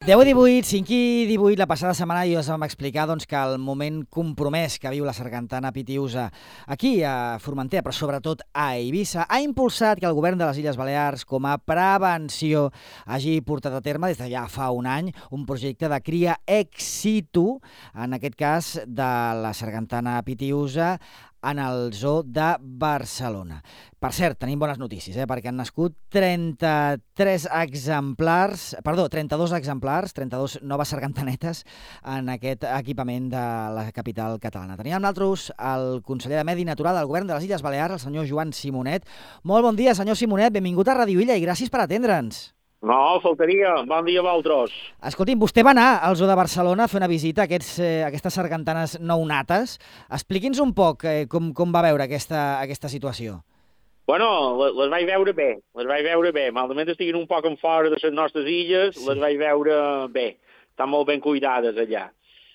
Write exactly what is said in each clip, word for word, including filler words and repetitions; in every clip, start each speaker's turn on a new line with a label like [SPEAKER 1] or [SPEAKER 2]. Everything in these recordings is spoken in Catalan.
[SPEAKER 1] deu i divuit, cinc i divuit, la passada setmana ja us vam explicar doncs, que el moment compromès que viu la sargantana Pitiusa aquí a Formentera, però sobretot a Eivissa, ha impulsat que el govern de les Illes Balears, com a prevenció, hagi portat a terme des de ja fa un any un projecte de cria ex situ, en aquest cas de la sargantana Pitiusa, en el zoo de Barcelona. Per cert, tenim bones notícies, eh? perquè han nascut trenta-tres exemplars, perdó, trenta-dos exemplars, trenta-dos noves sargantanetes en aquest equipament de la capital catalana. Tenim amb nosaltres el conseller de Medi Natural del Govern de les Illes Balears, el senyor Joan Simonet. Molt bon dia, senyor Simonet, benvingut a Radio Illa i gràcies per atendre'ns.
[SPEAKER 2] No, faltaria. Bon dia a vosaltres.
[SPEAKER 1] Escolti'm, vostè va anar al zoo de Barcelona a fer una visita a aquests, eh, aquestes sargantanes nounates. Expliqui'ns un poc eh, com, com va veure aquesta, aquesta situació.
[SPEAKER 2] Bueno, les, les vaig veure bé, les vaig veure bé. Malament estiguin un poc en fora de les nostres illes, sí. Les vaig veure bé. Estan molt ben cuidades allà.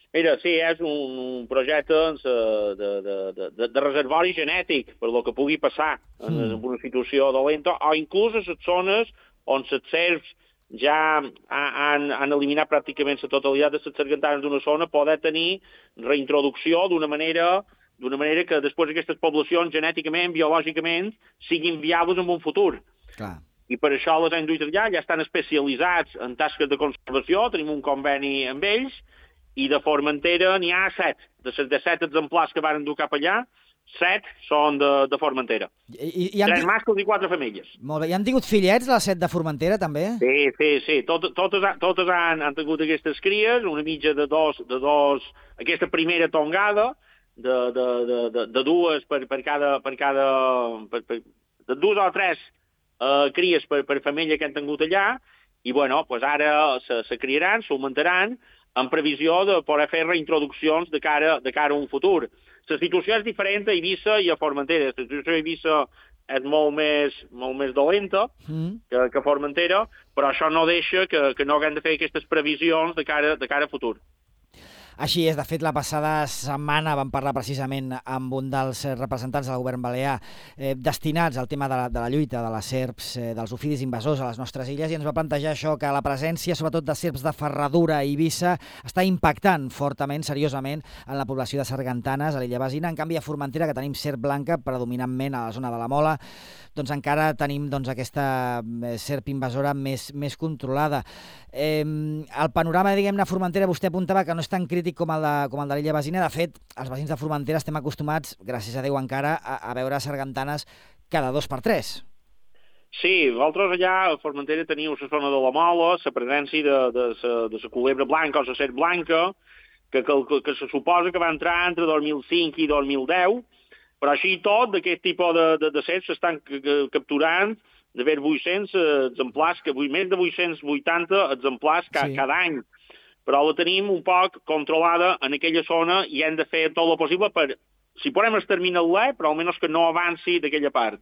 [SPEAKER 2] Mira, sí, és un, un projecte de, de, de, de reservori genètic, per lo que pugui passar en, mm. en una situació dolenta, o inclús a les zones on les serps ja han, han eliminat pràcticament la totalitat de les sargantanes d'una zona, poder tenir reintroducció d'una manera, d'una manera que després aquestes poblacions genèticament, biològicament, siguin viables en un futur.
[SPEAKER 1] Clar.
[SPEAKER 2] I per això les hem duit allà, ja estan especialitzats en tasques de conservació, tenim un conveni amb ells, i de Formentera n'hi ha set. De les de set exemplars que van dur cap allà, set són de, de Formentera. I, i Tres mascles i quatre femelles.
[SPEAKER 1] Molt bé. I han tingut fillets, les set de Formentera, també?
[SPEAKER 2] Sí, sí, sí. Tot, totes totes han, han tingut aquestes cries, una mitja de dos, de dos, aquesta primera tongada, de, de, de, de, de dues per, per cada, per cada, per, per, de dues o tres uh, cries per, per femella que han tingut allà, i bueno, pues ara se, se criaran, s'augmentaran, en previsió de poder fer reintroduccions de cara, de cara a un futur. La situació és diferent a Eivissa i a Formentera. La situació a Eivissa és molt més, molt més dolenta mm. que, que a Formentera, però això no deixa que, que no haguem de fer aquestes previsions de cara, de cara a futur.
[SPEAKER 1] Així és, de fet, la passada setmana vam parlar precisament amb un dels representants del govern balear eh, destinats al tema de la, de la lluita de les serps, eh, dels ofidis invasors a les nostres illes, i ens va plantejar això, que la presència, sobretot de serps de ferradura a Eivissa, està impactant fortament, seriosament, en la població de sargantanes a l'illa Besina. En canvi, a Formentera, que tenim serp blanca predominantment a la zona de la Mola, doncs encara tenim doncs, aquesta serp invasora més, més controlada. Eh, el panorama, diguem-ne, a Formentera, vostè apuntava que no és tan crític com el de, com el de l'illa Besina. De fet, els veïns de Formentera estem acostumats, gràcies a Déu encara, a, a veure sargantanes cada dos per tres.
[SPEAKER 2] Sí, vosaltres allà a Formentera teniu la zona de la Mola, la presència de, de, de, de la culebra blanca o la serp blanca, que, que, que, que se suposa que va entrar entre dos mil cinc i dos mil deu, però així i tot, d'aquest tipus de, de, de serps s'estan capturant d'haver vuit-cents exemplars, que més de vuit-cents vuitanta exemplars ca, sí. cada any. Però la tenim un poc controlada en aquella zona i hem de fer tot el possible per, si podem exterminar-la, però almenys que no avanci d'aquella part.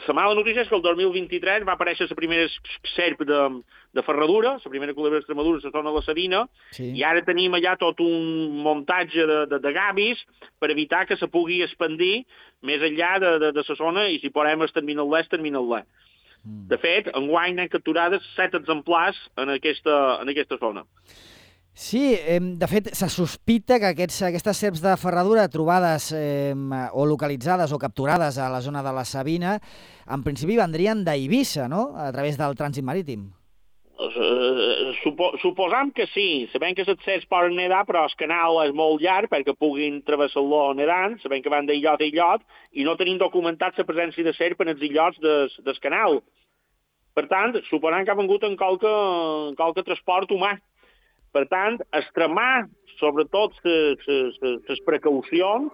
[SPEAKER 2] La mala notícia és que el dos mil vint-i-tres va aparèixer la primera serp de, de ferradura, la primera culebra d'Extremadura, la zona de la Sabina, sí. I ara tenim allà tot un muntatge de, de, de gavis per evitar que se pugui expandir més enllà de, de, de la zona, i si podem exterminar-la, exterminar-la. Mm. De fet, enguany n'han capturades set exemplars en aquesta, en aquesta zona.
[SPEAKER 1] Sí, eh, de fet, se sospita que aquests, aquestes serps de ferradura trobades eh, o localitzades o capturades a la zona de la Sabina, en principi vendrien d'Eivissa, no?, a través del trànsit marítim.
[SPEAKER 2] Uh, supo, suposam que sí. Sabem que les serps poden nedar, però el canal és molt llarg perquè puguin travessar-lo nedant, sabem que van d'illot a illot, i no tenim documentat la presència de serp en els illots des, del canal. Per tant, suposam que ha vengut en qualque, en qualque transport humà. Per tant, extremar, sobretot, les precaucions,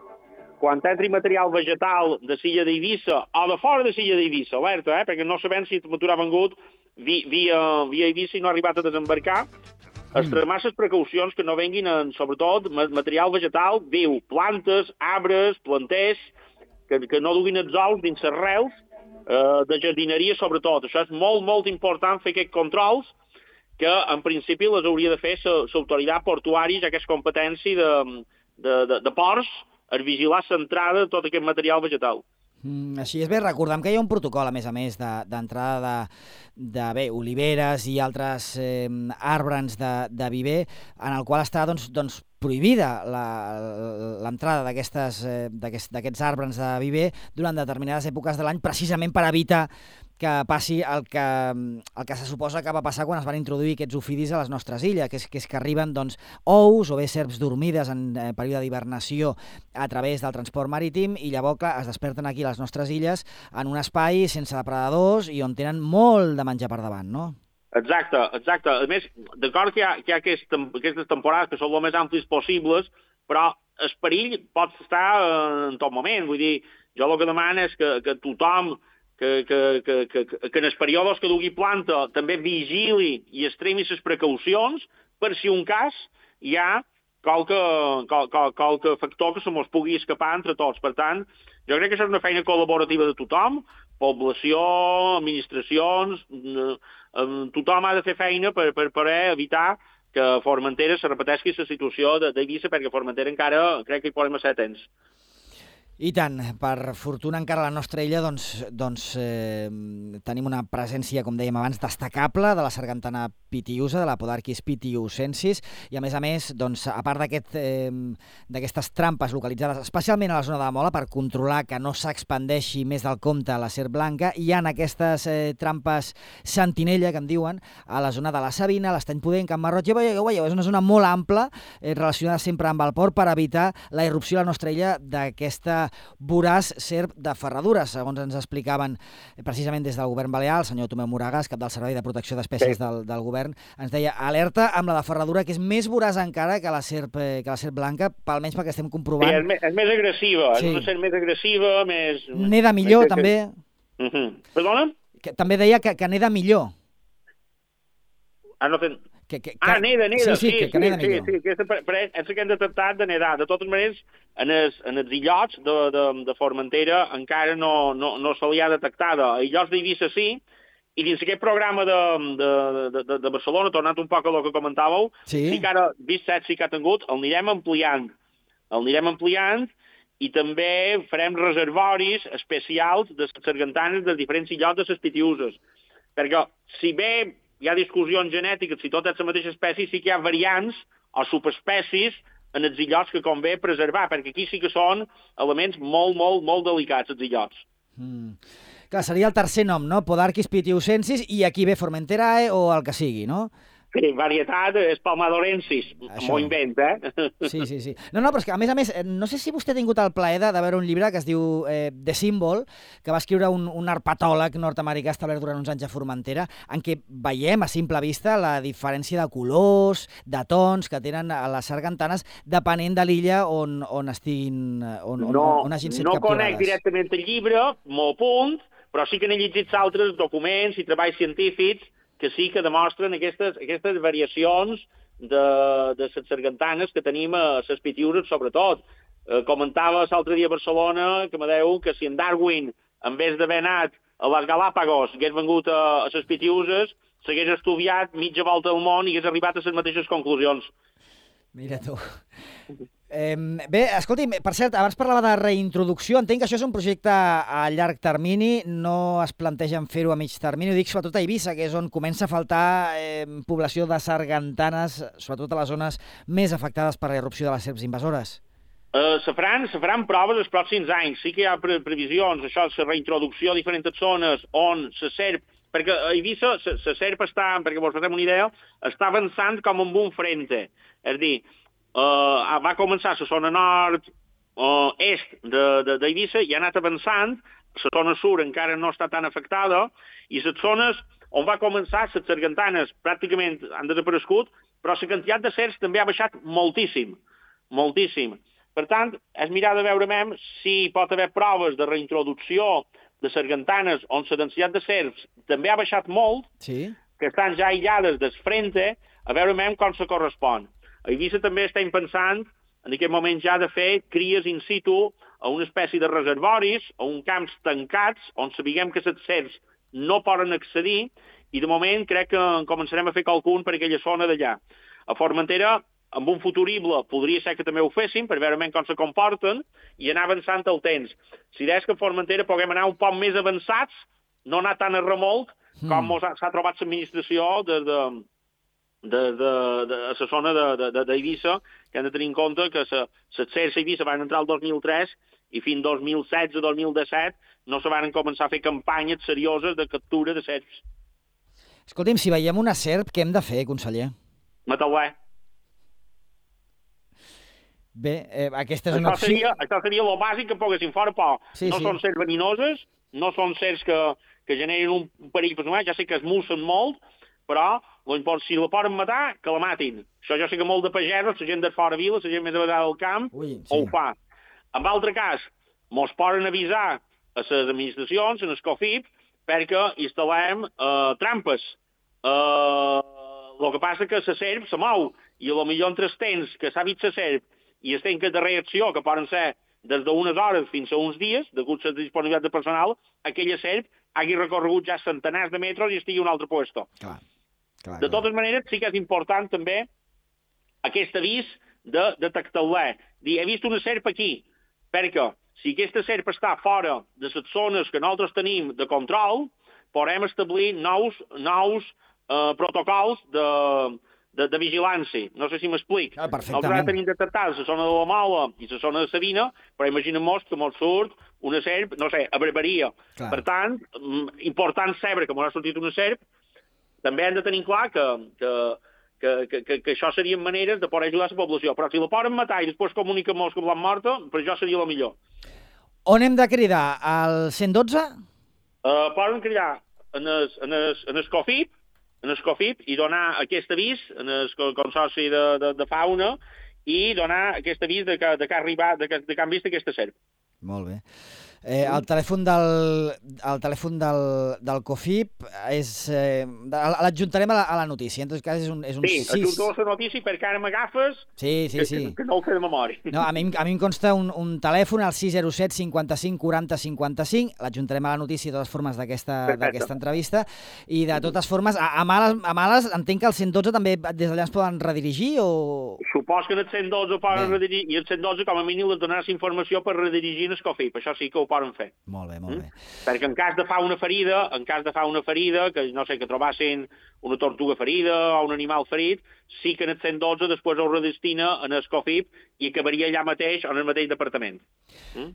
[SPEAKER 2] quan entri material vegetal de l'illa d'Eivissa o de fora de l'illa d'Eivissa, alerta, eh? perquè no sabem si el motor ha vengut via, via, via Eivissa i no ha arribat a desembarcar, extremar les precaucions que no venguin, en, sobretot, material vegetal viu, plantes, arbres, planters, que, que no duguin els ous dins les rels, eh, de jardineria, sobretot. Això és molt, molt important, fer aquests controls, que en principi les hauria de fer l'autoritat portuària, ja que és competència de, de, de, de ports, a vigilar l'entrada de tot aquest material vegetal.
[SPEAKER 1] Mm, així és. Bé, recordem que hi ha un protocol, a més a més, d'entrada de, de, de bé, oliveres i altres eh, arbres de, de viver, en el qual està doncs, doncs, prohibida l'entrada d'aquests eh, d'aquests arbres de viver durant determinades èpoques de l'any, precisament per evitar que passi el que, el que se suposa que va passar quan es van introduir aquests ofidis a les nostres illes, que és que, és que arriben doncs, ous o bé serps dormides en eh, període d'hibernació a través del transport marítim i llavors clar, es desperten aquí a les nostres illes en un espai sense depredadors i on tenen molt de menjar per davant, no?
[SPEAKER 2] Exacte, exacte. A més, d'acord que hi ha, que hi ha aquest, aquestes temporades que són el més amplis possibles, però el perill pot estar en tot moment. Vull dir, jo el que demano és que, que tothom que, que, que, que, que en els períodes que dugui planta també vigili i extremi les precaucions per si un cas hi ha qualque, qualque, qualque factor que se mos pugui escapar entre tots. Per tant, jo crec que això és una feina col·laborativa de tothom, població, administracions, tothom ha de fer feina per, per poder evitar que a Formentera se repeteixi la situació d'Eivissa, perquè a Formentera encara crec que hi podem ser temps.
[SPEAKER 1] I tant, per fortuna encara a la nostra illa doncs, doncs, eh, tenim una presència, com dèiem abans, destacable de la sargantana pitiusa, de la Podarquis pitiusensis, i a més a més, doncs, a part d'aquestes eh, trampes localitzades especialment a la zona de la Mola per controlar que no s'expandeixi més del compte la serp blanca, hi ha aquestes eh, trampes sentinella, que en diuen, a la zona de la Sabina, l'Estany Pudent, Can Marroig, ja veieu, veieu, és una zona molt ampla, eh, relacionada sempre amb el port, per evitar la irrupció a la nostra illa d'aquesta voraç serp de ferradures, segons ens explicaven precisament des del govern balear, el senyor Tomeu Moragas, cap del Servei de Protecció d'Espècies sí. del, del govern, ens deia alerta amb la de ferradura, que és més voraç encara que la serp, que la serp blanca, almenys perquè estem comprovant.
[SPEAKER 2] Sí, és, més, és més agressiva, sí. És una serp més agressiva, més...
[SPEAKER 1] Neda millor, més que... també.
[SPEAKER 2] Uh -huh. Perdona?
[SPEAKER 1] Que, també deia que, que neda millor.
[SPEAKER 2] Ah, no ten...
[SPEAKER 1] Que, que,
[SPEAKER 2] ah, neda, neda,
[SPEAKER 1] sí, sí,
[SPEAKER 2] sí,
[SPEAKER 1] que, que neda
[SPEAKER 2] sí,
[SPEAKER 1] millor.
[SPEAKER 2] sí, sí, és el que hem detectat de nedar. De totes maneres, en els, en els illots de, de, de Formentera encara no, no, no se li ha detectada. A illots d'Eivissa sí, i dins aquest programa de, de, de, de, de Barcelona, tornant un poc a el que comentàveu, sí, sí que ara, vist set sí que ha tingut, el anirem ampliant. El anirem ampliant i també farem reservoris especials de les sargantanes dels diferents illots de les pitiuses. Perquè si bé hi ha discussions genètiques, si tot és la mateixa espècie, sí que hi ha variants o subespècies en els illots que convé preservar, perquè aquí sí que són elements molt, molt, molt delicats, els illots.
[SPEAKER 1] Mm. Clar, seria el tercer nom, no? Podarquis pitiusensis, i aquí ve Formenterae o el que sigui, no?
[SPEAKER 2] Sí, varietat és Palmadorensis, m'ho invent, eh?
[SPEAKER 1] Sí, sí, sí. No, no, però és que, a més a més, no sé si vostè ha tingut el plaer de veure un llibre que es diu eh, The Symbol, que va escriure un, un herpetòleg nord-americà establert durant uns anys a Formentera, en què veiem a simple vista la diferència de colors, de tons que tenen a les sargantanes, depenent de l'illa on, on estiguin, on,
[SPEAKER 2] no,
[SPEAKER 1] on, on hagin set
[SPEAKER 2] no
[SPEAKER 1] capturades.
[SPEAKER 2] No conec directament el llibre, m'ho apunt, però sí que n'he llegit altres documents i treballs científics que sí que demostren aquestes, aquestes variacions de, de les sargantanes que tenim a les pitiuses, sobretot. Eh, comentava l'altre dia a Barcelona que me deu que si en Darwin, en vez d'haver anat a les Galàpagos, hagués vengut a, a les pitiuses, s'hagués estudiat mitja volta al món i hagués arribat a les mateixes conclusions.
[SPEAKER 1] Mira tu. Eh, bé, escolti, per cert, abans parlava de reintroducció, entenc que això és un projecte a llarg termini, no es plantegen fer-ho a mig termini, ho dic sobretot a Eivissa, que és on comença a faltar eh, població de sargantanes, sobretot a les zones més afectades per la irrupció de les serps invasores.
[SPEAKER 2] Uh, se, faran, se faran proves els pròxims anys, sí que hi ha pre previsions, això, la reintroducció a diferents zones on la serp, perquè a Eivissa la serp està, perquè vos fem una idea, està avançant com amb un frente, és a dir, Uh, va començar a la zona nord uh, est d'Eivissa i ha anat avançant, la zona sud encara no està tan afectada, i les zones on va començar les sargantanes pràcticament han desaparegut, però la quantitat de serps també ha baixat moltíssim, moltíssim. Per tant, és mirar de veure mem si pot haver proves de reintroducció de sargantanes on la densitat de serps també ha baixat molt,
[SPEAKER 1] sí,
[SPEAKER 2] que estan ja aïllades del frente, a veure mem com se correspon. A Eivissa també estem pensant, en aquest moment ja, de fer cries in situ a una espècie de reservoris, a uns camps tancats, on sabiguem que les serps no poden accedir, i de moment crec que començarem a fer qualcun per aquella zona d'allà. A Formentera en un futurible podria ser que també ho fessin, per veure com se comporten, i anar avançant el temps. Si deies que a Formentera puguem anar un poc més avançats, no anar tan a remolc com mm. s'ha trobat l'administració de, de, de, de, de, a la zona d'Eivissa, que hem de tenir en compte que les cercs a Eivissa van entrar el dos mil tres i fins al dos mil setze dos mil disset no se van començar a fer campanyes serioses de captura de serps.
[SPEAKER 1] Escolti'm, si veiem una serp, què hem de fer, conseller?
[SPEAKER 2] Matar-la.
[SPEAKER 1] Bé, eh, aquesta és una
[SPEAKER 2] això seria, això seria el bàsic que poguessin fora, però sí, no sí. són serps verinoses, no són serps que, que generen un perill personal, ja sé que es mussen molt, però si la poden matar, que la matin. Això jo sé que molt de pagesos, la gent de fora vila, la gent més a vegades del camp, Ui, sí. ho fa. En altre cas, mos poden avisar a les administracions, en el COFIP, perquè instal·lem eh, trampes. Eh, el que passa que la serp se mou, i potser entre els temps que s'ha vist la serp i els temps de reacció, que poden ser des d'unes hores fins a uns dies, degut a la disponibilitat de personal, aquella serp hagi recorregut ja centenars de metres i estigui a un altre puesto.
[SPEAKER 1] Clar, clar,
[SPEAKER 2] de totes clar. maneres, sí que és important també aquest avís de detectar-la. Dir, he vist una serp aquí, perquè si aquesta serp està fora de les zones que nosaltres tenim de control, podem establir nous, nous eh, protocols de, de, de vigilància. No sé si m'explic.
[SPEAKER 1] Ah, perfectament.
[SPEAKER 2] Nosaltres tenim detectats la zona de la Mola i la zona de Sabina, però imaginem-nos que ens surt una serp, no sé, a Barberia. Clar. Per tant, important saber que ens ha sortit una serp, també hem de tenir clar que, que, que, que, que, que això serien maneres de poder ajudar la població. Però si la poden matar i després comuniquem-nos que l'han morta, per això seria el millor.
[SPEAKER 1] On hem de cridar? Al cent dotze?
[SPEAKER 2] Uh, poden cridar en el, en el, en el COFIP, en el COFIP i donar aquest avís en el Consorci de, de, de Fauna i donar aquest avís de que, de que ha arribat, de que, de que han vist aquesta serp.
[SPEAKER 1] Molt bé. Eh, el telèfon del, el telèfon del, del COFIP és... Eh, l'adjuntarem a, la, a la notícia. En tot cas és un, és un
[SPEAKER 2] sí,
[SPEAKER 1] sis...
[SPEAKER 2] adjunto la notícia perquè ara m'agafes
[SPEAKER 1] sí, sí,
[SPEAKER 2] que,
[SPEAKER 1] sí.
[SPEAKER 2] que, que no ho sé de memòria.
[SPEAKER 1] No, a, mi, a mi em consta un, un telèfon al sis zero set cinquanta-cinc quaranta cinquanta-cinc. L'adjuntarem a la notícia de totes formes d'aquesta entrevista. I de totes formes, a, a, males, a males entenc que el cent dotze també des d'allà ens poden redirigir o...
[SPEAKER 2] Supos que en el cent dotze poden Bé. redirigir i el cent dotze com a mínim les donaràs informació per redirigir el COFIP. Això sí que ho poden fer.
[SPEAKER 1] Molt bé, molt bé.
[SPEAKER 2] Mm? Perquè en cas de fa una ferida, en cas de fa una ferida, que no sé, que trobassin una tortuga ferida o un animal ferit, sí que en el cent dotze després ho redestina en el COFIP i acabaria allà mateix en el mateix departament. Mm?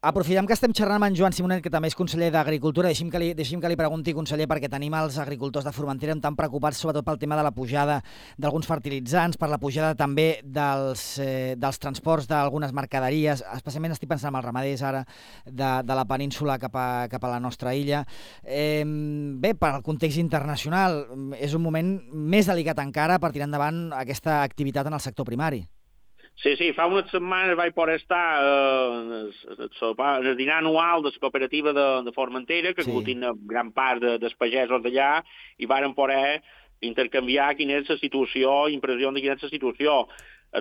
[SPEAKER 1] Aprofitem que estem xerrant amb en Joan Simonet, que també és conseller d'Agricultura. Deixi'm que, li, deixi'm que li pregunti, conseller, perquè tenim els agricultors de Formentera tan preocupats sobretot pel tema de la pujada d'alguns fertilitzants, per la pujada també dels, eh, dels transports d'algunes mercaderies, especialment estic pensant en els ramaders ara de, de la península cap a, cap a la nostra illa. Eh, bé, per al context internacional, és un moment més delicat encara per tirar endavant aquesta activitat en el sector primari.
[SPEAKER 2] Sí, sí, fa unes setmanes vaig poder estar eh, en, el, en el dinar anual de la cooperativa de, de Formentera, que sí. aglutina gran part de, dels pagesos d'allà, i varen poder intercanviar quina és la situació, impressió de quina és la situació.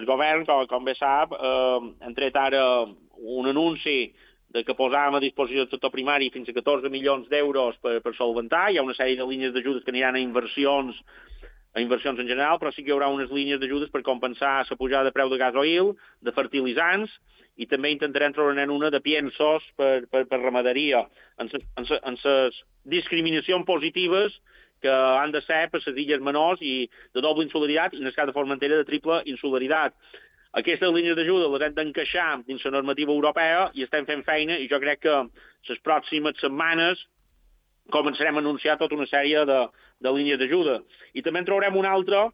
[SPEAKER 2] El govern, com, com bé sap, eh, ha tret ara un anunci de que posàvem a disposició del sector primari fins a catorze milions d'euros per, per solventar. Hi ha una sèrie de línies d'ajudes que aniran a inversions a inversions en general, però sí que hi haurà unes línies d'ajudes per compensar la pujada de preu de gasoil, de fertilitzants, i també intentarem trobar una de piensos per, per, per ramaderia, en les discriminacions positives que han de ser per les illes menors i de doble insularitat i en el cas de Formentera de triple insularitat. Aquestes línies d'ajuda les hem d'encaixar dins la normativa europea i estem fent feina i jo crec que les pròximes setmanes començarem a anunciar tota una sèrie de, de línies d'ajuda. I també en trobarem una altra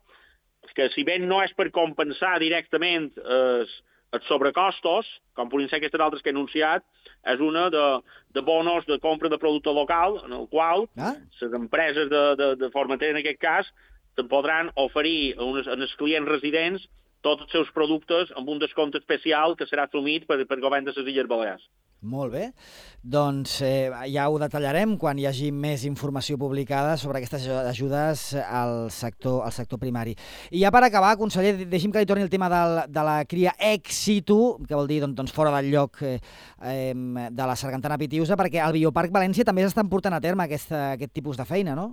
[SPEAKER 2] que, si bé no és per compensar directament els, els sobrecostos, com podrien ser aquestes altres que he anunciat, és una de, de bonos de compra de producte local, en el qual ah? les empreses de, de, de Formentera, en aquest cas, te'n podran oferir a unes, a els clients residents tots els seus productes amb un descompte especial que serà assumit per, per govern de les Illes Balears.
[SPEAKER 1] Molt bé. Doncs eh, ja ho detallarem quan hi hagi més informació publicada sobre aquestes ajudes al sector, al sector primari. I ja per acabar, conseller, deixi'm que li torni el tema del, de la cria ex situ, que vol dir doncs, doncs fora del lloc eh, de la sargantana pitiusa, perquè al Bioparc València també s'estan portant a terme aquesta, aquest tipus de feina, no?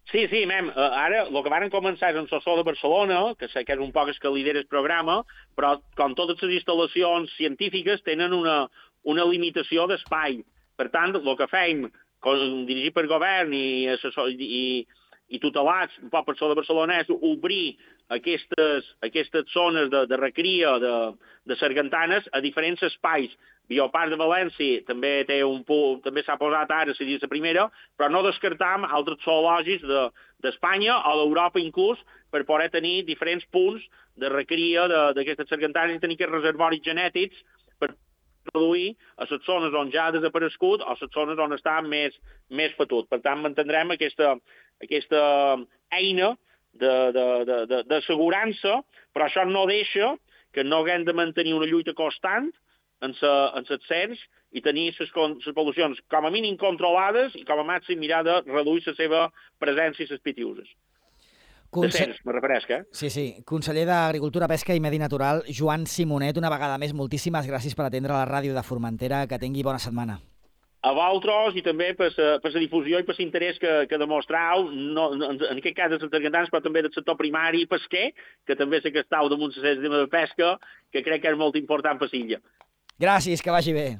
[SPEAKER 2] Sí, sí, mem, eh, ara el que van començar és en Sossó de Barcelona, que sé que és un poc el que lidera el programa, però com totes les instal·lacions científiques tenen una, una limitació d'espai. Per tant, el que fem, com, dirigit per govern i, assessor, i, i tutelats un poc per Sossó de Barcelona, és obrir aquestes, aquestes zones de, de recria de, de sargantanes a diferents espais. Bioparc de València també té un punt, també s'ha posat ara, seria la primera, però no descartam altres zoològics d'Espanya de, o d'Europa inclús per poder tenir diferents punts de recria d'aquestes sargantanes i tenir aquests reservoris genètics per produir a les zones on ja ha desaparegut o a les zones on està més, més fetut. Per tant, mantindrem aquesta, aquesta eina d'assegurança, però això no deixa que no haguem de mantenir una lluita constant en els cens i tenir les poblacions com a mínim controlades i com a màxim mirar de reduir la seva presència i les pitiuses. Conse... De cens, me referesc, eh?
[SPEAKER 1] Sí, sí. Conseller d'Agricultura, Pesca i Medi Natural, Joan Simonet, una vegada més, moltíssimes gràcies per atendre la ràdio de Formentera. Que tingui bona setmana.
[SPEAKER 2] A vosaltres i també per la difusió i per l'interès que, que demostrau, no, en, en aquest cas dels sargantans, però també del sector primari i pesquer, que també sé que estàu damunt la tema de pesca, que crec que és molt important per l'illa.
[SPEAKER 1] Gràcies, que vagi bé.